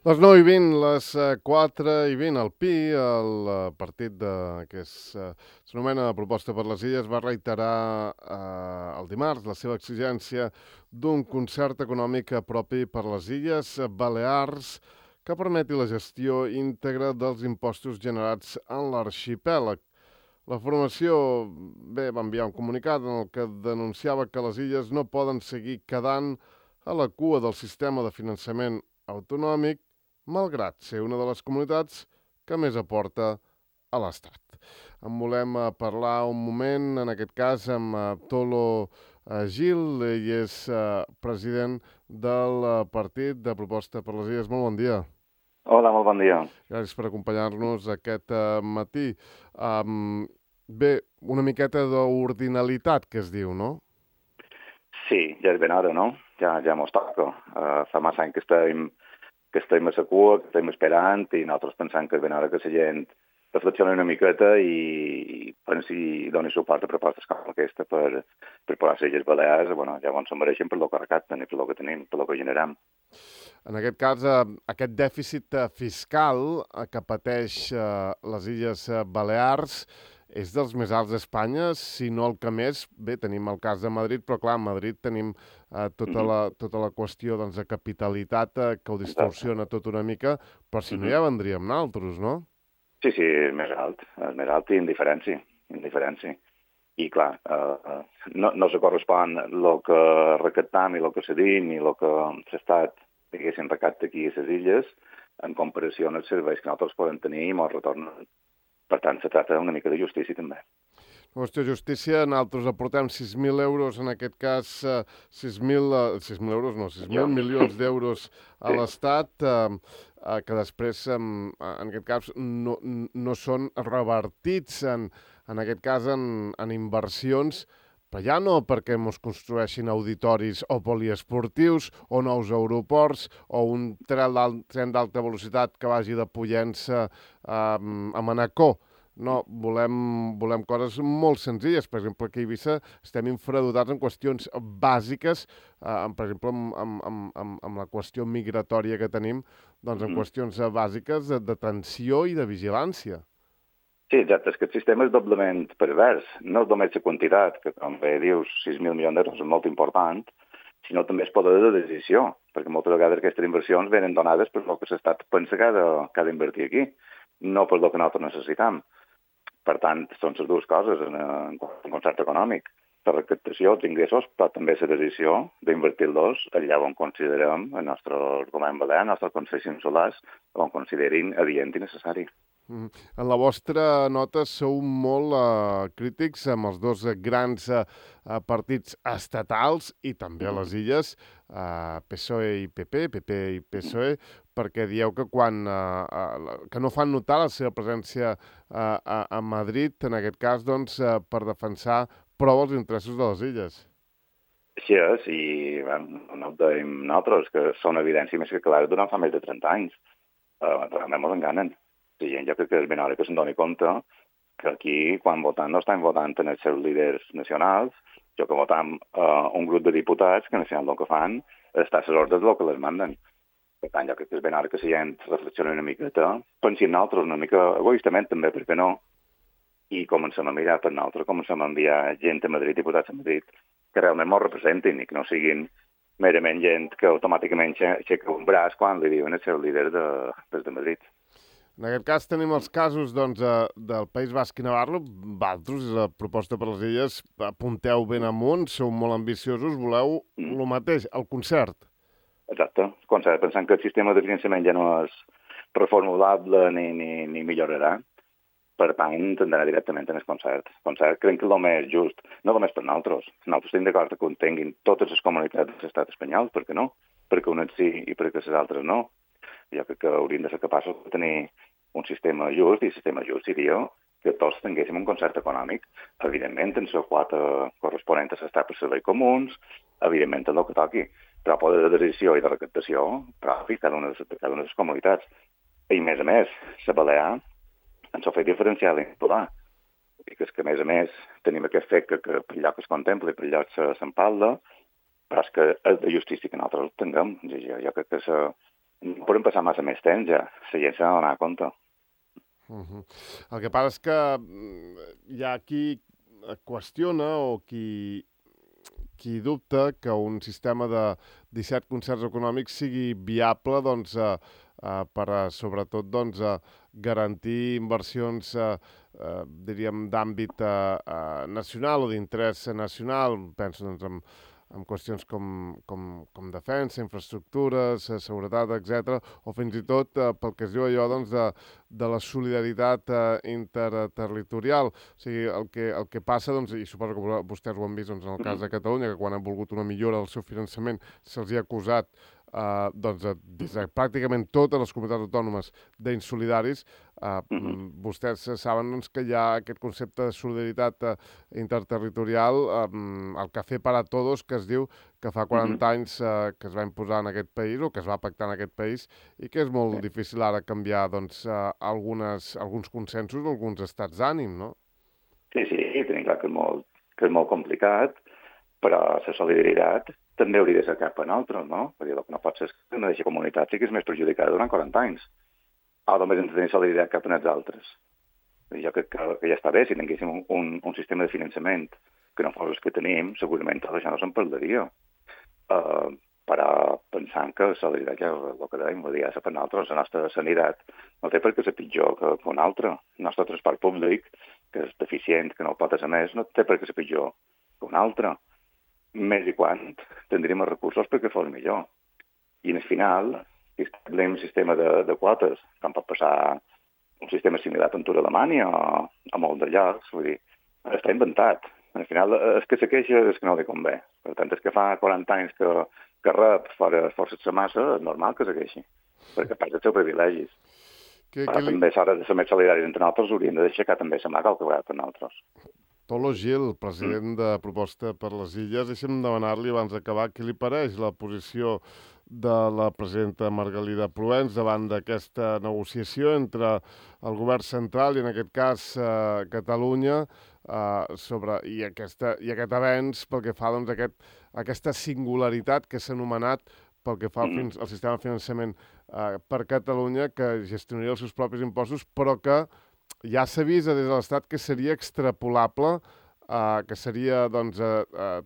Les 9:20, les 4:20, el PI, el partit s'anomena Proposta per les Illes, va reiterar el dimarts la seva exigència d'un concert econòmic propi per les Illes Balears que permeti la gestió íntegra dels impostos generats en l'arxipèlag. La formació va enviar un comunicat en el que denunciava que les illes no poden seguir quedant a la cua del sistema de finançament autonòmic, malgrat ser una de les comunitats que més aporta a l'Estat. En volem parlar un moment, en aquest cas, amb Tolo Gil, ell és president del Partit de Proposta per les Illes. Molt bon dia. Hola, molt bon dia. Gràcies per acompanyar-nos aquest matí. Bé, una miqueta d'ordinalitat, que es diu, no? Sí, ja és ben hora, no? Ja mos toca. Fa massa anys que estem a la cua, que estem esperant, i nosaltres pensant que és ben hora que la gent reflexioni una miqueta i pensi i doni suport a propostes com aquesta per posar les Illes Balears, bueno, llavors se'n mereixen per lo que recapten i per lo que tenim, per lo que generem. En aquest cas, aquest dèficit fiscal que pateix les Illes Balears és dels més alts d'Espanya, si no el que més. Bé, tenim el cas de Madrid, però clar, a Madrid tenim tota la qüestió doncs, de capitalitat que ho Exacte. distorsiona tot una mica, però si no ja vendríem naltros, no? Sí, sí, és més alt i indiferència. I clar, no se correspon el que recaptam i el que cedim i el que l'Estat, diguéssim, recapta aquí a les illes en comparació amb els serveis que nosaltres podem tenir i ens retornen. Per tant, se tracta una mica de justícia també. Qüestió de justícia, nosaltres aportem 6.000 euros, en aquest cas 6.000 euros, no, 6.000 Milions. milions d'euros a Sí, l'Estat, que després, en aquest cas, no són revertits, en aquest cas, en inversions, però ja no perquè ens construeixin auditoris o poliesportius o nous aeroports o un tren d'alta velocitat que vagi de Pollença a Manacor. No, volem coses molt senzilles. Per exemple, aquí a Eivissa estem infradotats en qüestions bàsiques, per exemple, amb la qüestió migratòria que tenim, doncs en qüestions bàsiques d'atenció i de vigilància. sí, exacte. És que el sistema és doblement pervers. No és només la quantitat, que com bé dius, 6.000 milions d'euros és molt important, sinó també el poder de decisió, perquè moltes vegades aquestes inversions venen donades per el que l'Estat pensa que ha d'invertir aquí, no per el que nosaltres necessitem. Per tant, són les dues coses en concert econòmic. La recaptació, els ingressos, però també la decisió d'invertir-los allà on considerem, el nostre govern balear, els nostres consells insulars, on considerin adient i necessari. En la vostra nota sou molt crítics amb els dos grans partits estatals i també a les illes, PSOE i PP, PP i PSOE, perquè dieu que que no fan notar la seva presència a Madrid, en aquest cas, doncs, per defensar prou els interessos de les illes. Així és, i no ho dèiem nosaltres, que són evidència més que clara durant fa més de 30 anys. Realment ens enganen. Sí, jo crec que és ben hora que se'n doni compte que aquí, quan voten, no estan votant en els seus líders nacionals, jo que votam un grup de diputats que, al final, el que fan és estar a les ordres del que les manden. Per tant, jo crec que és ben hora que la gent reflexioni una miqueta, pensi en nosaltres una mica egoistament també, perquè no, i comencem a mirar per nosaltres, comencem a enviar gent a Madrid, diputats a Madrid, que realment ens representin i que no siguin merament gent que automàticament aixeca un braç quan li diuen el seu líder des de Madrid. En aquest cas tenim els casos doncs, del País Basc i Navarro. Vosaltres, la proposta per les illes, apunteu ben amunt, sou molt ambiciosos, voleu Mm. el mateix, el concert. Exacte. Pensant que el sistema de finançament ja no és reformulable ni millorarà. Per tant, tindrà directament en el concert. El concert crec que és el més just, no només per nosaltres. Nosaltres estem d'acord que contenguin totes les comunitats de l'estat espanyol, per què no? Perquè unes sí i perquè les altres no. Jo crec que hauríem de ser capaços de tenir un sistema just, i el sistema just seria que tots tinguéssim un concert econòmic, evidentment en la quota corresponent a l'estat per serveis comuns, evidentment en el que toqui, però poder de decisió i de recaptació propi cada una de les comunitats. I, a més, la Balear ens ho fet diferencial i popular. I que és que, a més, tenim aquest fet que per allò que es contempla i per allò que se'n parla, però és que és de justícia que nosaltres el tinguem. Jo crec que No podem passar massa més temps ja, la gent s'ha d'anar a compte. El que passa és que hi ha qui qüestiona o qui dubta que un sistema de 17 concerts econòmics sigui viable doncs, per, sobretot, doncs, garantir inversions diríem, d'àmbit nacional o d'interès nacional. Penso doncs, en qüestions com defensa, infraestructures, seguretat, etc. O fins i tot pel que es diu allò doncs, de la solidaritat interterritorial. O sigui, el que passa, doncs, i suposo que vostès ho han vist doncs, en el cas de Catalunya, que quan han volgut una millora del seu finançament se'ls ha acusat doncs, des de pràcticament totes les comunitats autònomes d'insolidaris. Vostès saben doncs, que hi ha aquest concepte de solidaritat interterritorial, el Café para Todos, que es diu, que fa 40 anys que es va imposar en aquest país, o que es va pactar en aquest país, i que és molt difícil ara canviar doncs, alguns consensos o alguns estats d'ànim, no? Sí, tenim clar que és molt complicat, però la solidaritat també hauria de ser cap a nosaltres, no? Perquè el que no pot ser és que una d'aquesta comunitat sigui més perjudicada durant 40 anys. O només ens tenim solidaritat cap a els altres. Jo crec que ja està bé, si tinguéssim un sistema de finançament que no fos el que tenim, segurament tot això no se'n parlaria. Però pensant que la solidaritat, ja el que dèiem, ja és per nosaltres, la nostra sanitat no té per què ser pitjor que un altre. El nostre transport públic, que és deficient, que no pot ser més, no té per què ser pitjor que un altre. Més i quan tindríem els recursos perquè fos millor. I al final, si establim un sistema de quotes, com pot passar un sistema similar a Ventura Alemanya o a molt de llocs, vull dir, està inventat. Al final, el que se queixa és que no li convé. Per tant, és que fa 40 anys que rep força de massa, és normal que se queixi, perquè perd els seus privilegis. Però també s'ha de ser més solidaris entre nosaltres, hauríem de deixar també la mà que el que per nosaltres. Tolo Gil, president de Proposta per les Illes, deixa'm demanar-li abans d'acabar què li pareix la posició de la presidenta Margalida Proens davant d'aquesta negociació entre el govern central i, en aquest cas, Catalunya, i aquest avenç pel que fa doncs, aquesta singularitat que s'ha anomenat pel que fa al sistema de finançament per Catalunya, que gestionaria els seus propis impostos, però que ja s'avisa des de l'Estat que seria extrapolable, que seria doncs,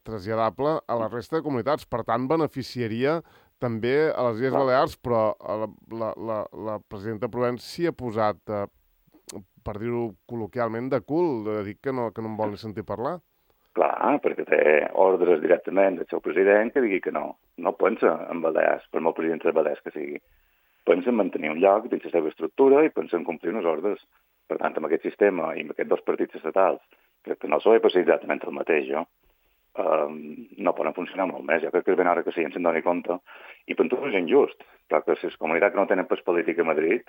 traslladable a la resta de comunitats. Per tant, beneficiaria també a les Illes Balears, però la presidenta Proens s'hi ha posat, per dir-ho col·loquialment, de cul, de dir que no en vol ni sentir parlar. Clar, perquè té ordres directament del seu president que digui que no pensa en Balears, per molt president de Balears que sigui. Pensa en mantenir un lloc dins la seva estructura i pensa en complir unes ordres. Per tant, amb aquest sistema i amb aquests dos partits estatals, que no s'ho he passat exactament el mateix, no poden funcionar molt més. Jo crec que és ben hora que la gent se'n doni compte. I per tot és injust, perquè les comunitats que no tenen pas política a Madrid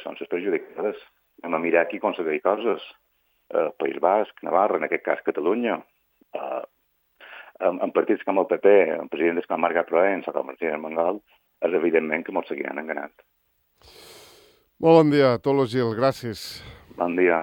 són les perjudicades. Anem a mirar qui aconsegueix coses. País Basc, Navarra, en aquest cas Catalunya, en partits com el PP, en presidents com Marga Proens o com el president Mangal, és evidentment que molts seguiran enganat. Molt bon dia, Tolo Gil, gràcies. Bon dia.